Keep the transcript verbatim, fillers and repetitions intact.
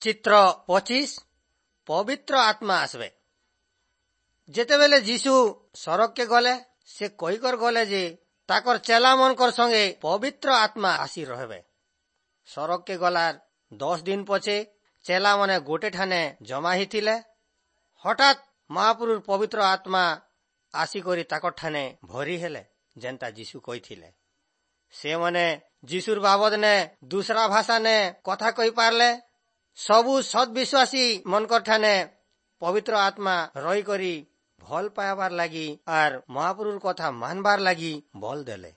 ଚିତ୍ର ପଚିଶ ପବିତ୍ର ଆତ୍ମା আসবে। ଯେତେବେଲେ ଯୀଶୁ ସରଗକେ ଗଲେ, ସେ କହିକର ଗଲେ ଯେ ତାକର ଚେଲା ମାନଙ୍କର ସଙ୍ଗେ ପବିତ୍ର ଆତ୍ମା ଆସି ରହବେ। ସରଗକେ ଗଲାର ଦଶ ଦିନ ପଛେ ଚେଲା ମାନେ ଗୋଟେ ଠାନେ ଜମା ହେଇଥିଲେ। ହଠାତ୍ ମହାପୁରୁର ପବିତ୍ର ଆତ୍ମା ଆସିକରି ତାକର ଠାନେ ଭରି ହେଲେ, ଯେନ୍ତା ଯୀଶୁ କହିଥିଲେ। ସେମାନେ ଯୀଶୁର ବାବଦ ନେ ଦୁସରା ଭାଷା ନେ କଥା କହି ପାରଲେ। ସବୁ ସତ୍ ବିଶ୍ୱାସୀ ମନକର ଠାନେ ପବିତ୍ର ଆତ୍ମା ରହିକରି ଭଲ ପାଇବାର ଲାଗି ଆର୍ ମହାପୁରୁର କଥା ମାନବାର ଲାଗି ବଲ ଦେଲେ।